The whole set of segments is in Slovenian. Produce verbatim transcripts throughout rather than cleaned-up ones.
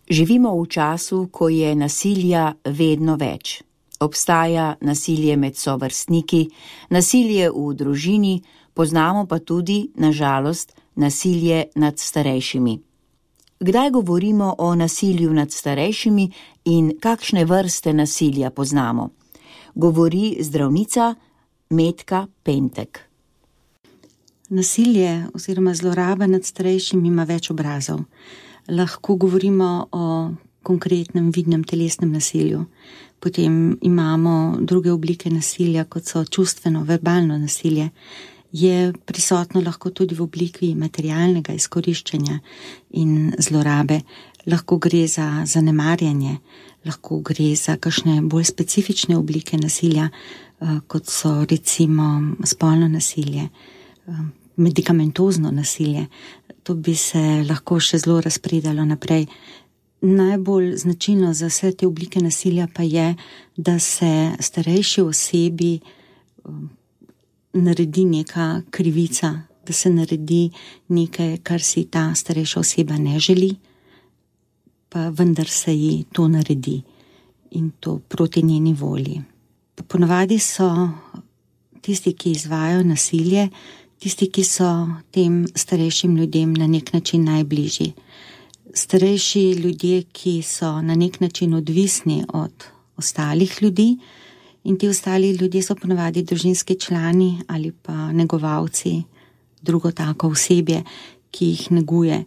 Živimo v času, ko je nasilja vedno več. Obstaja nasilje med sovrstniki, nasilje v družini, poznamo pa tudi, na žalost, nasilje nad starejšimi. Kdaj govorimo o nasilju nad starejšimi in kakšne vrste nasilja poznamo? Govori zdravnica Metka Pentek. Nasilje oziroma zloraba nad starejšimi ima več obrazov. Lahko govorimo o konkretnem vidnem telesnem nasilju. Potem imamo druge oblike nasilja, kot so čustveno, verbalno nasilje. Je prisotno lahko tudi v obliki materialnega izkoriščanja in zlorabe. Lahko gre za zanemarjanje, lahko gre za kakšne bolj specifične oblike nasilja, kot so recimo spolno nasilje, medikamentozno nasilje. To bi se lahko še zelo razpredalo naprej. Najbolj značilno za vse te oblike nasilja pa je, da se starejši osebi naredi neka krivica, da se naredi nekaj, kar si ta starejša oseba ne želi, pa vendar se ji to naredi in to proti njeni volji. Ponavadi so tisti, ki izvajajo nasilje, tisti, ki so tem starejšim ljudem na nek način najbližji. Starejši ljudje, ki so na nek način odvisni od ostalih ljudi, in ti ostali ljudje so ponavadi družinski člani ali pa negovalci, drugo tako osebje, ki jih neguje.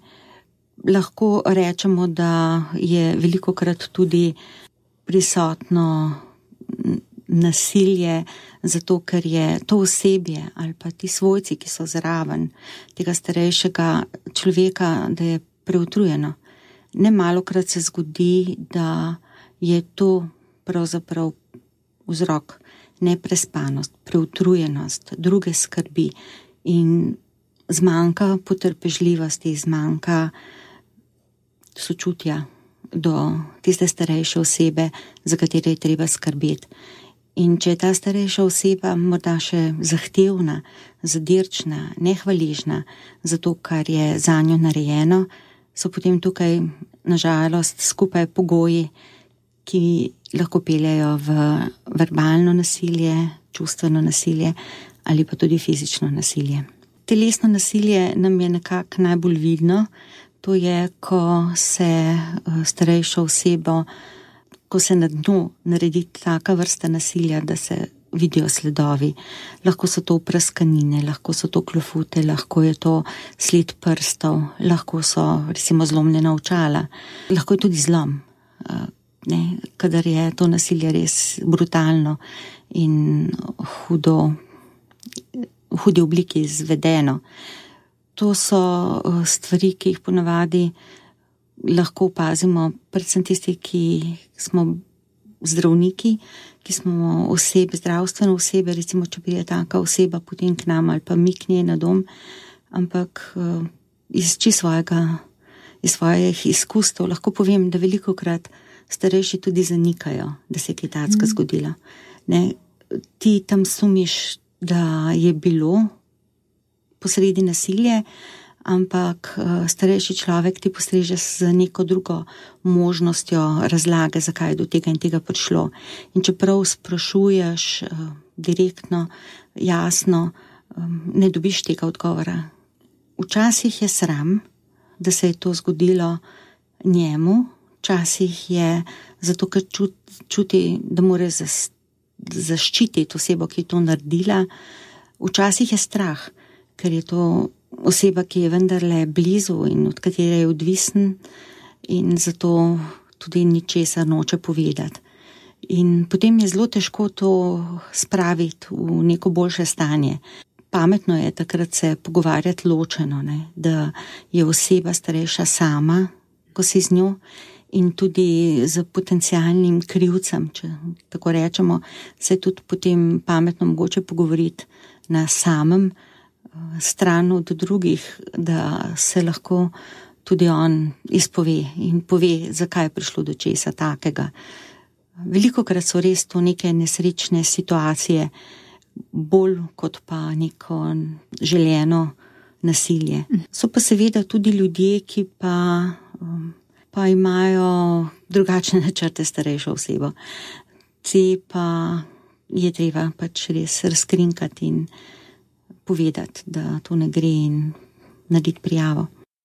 Lahko rečemo, da je velikokrat tudi prisotno nasilje, zato ker je to osebje ali pa ti svojci, ki so zraven tega starejšega človeka, da je preutrujeno. Nemalokrat se zgodi, da je to pravzaprav vzrok neprespanost, preutrujenost, druge skrbi in zmanjka potrpežljivosti, zmanjka sočutja do tiste starejše osebe, za katere je treba skrbeti. In če je ta starejša oseba morda še zahtevna, zadirčna, nehvaležna za to, kar je zanjo narejeno, so potem tukaj na žalost skupaj pogoji, ki lahko peljejo v verbalno nasilje, čustveno nasilje ali pa tudi fizično nasilje. Telesno nasilje nam je nekako najbolj vidno. To je, ko se starejšo osebo, ko se na dnu naredi taka vrsta nasilja, da se vidijo sledovi. Lahko so to praskanine, lahko so to klofute, lahko je to sled prstov, lahko so recimo zlomljena očala, lahko je tudi zlom. Ne, kadar je to nasilje res brutalno in hudo, v hudi obliki izvedeno. To so stvari, ki jih ponavadi lahko opazimo, predvsem tisti, ki smo zdravniki, ki smo osebe, zdravstvene osebe, recimo, če pride taka oseba potem k nam ali pa mi k njej na dom, ampak iz čisto svojega, iz svojih izkustev lahko povem, da velikokrat starejši tudi zanikajo, da se je kaj takega mm. zgodilo. Ne, ti tam sumiš, da je bilo posredi nasilje, ampak starejši človek ti postreže z neko drugo možnostjo razlage, zakaj je do tega in tega prišlo. In čeprav sprašuješ direktno, jasno, ne dobiš tega odgovora. Včasih je sram, da se je to zgodilo njemu, včasih je zato, ker čuti, da mora zaščititi osebo, ki je to naredila. Včasih je strah, ker je to oseba, ki je vendarle blizu in od katere je odvisen in zato tudi ničesar noče povedati. In potem je zelo težko to spraviti v neko boljše stanje. Pametno je takrat se pogovarjati ločeno, ne? Da je oseba starejša sama, ko si z njo, in tudi z potencialnim krivcem, če tako rečemo, se je tudi potem pametno mogoče pogovoriti na samem, stran od drugih, da se lahko tudi on izpove in pove, zakaj je prišlo do česa takega. Velikokrat so res to neke nesrečne situacije, bolj kot pa neko želeno nasilje. So pa seveda tudi ljudje, ki pa um, pa imajo drugačne načrte starejšo osebo. Te pa je treba pač res razkrinkati in povedati, da to ne gre in narediti prijavo.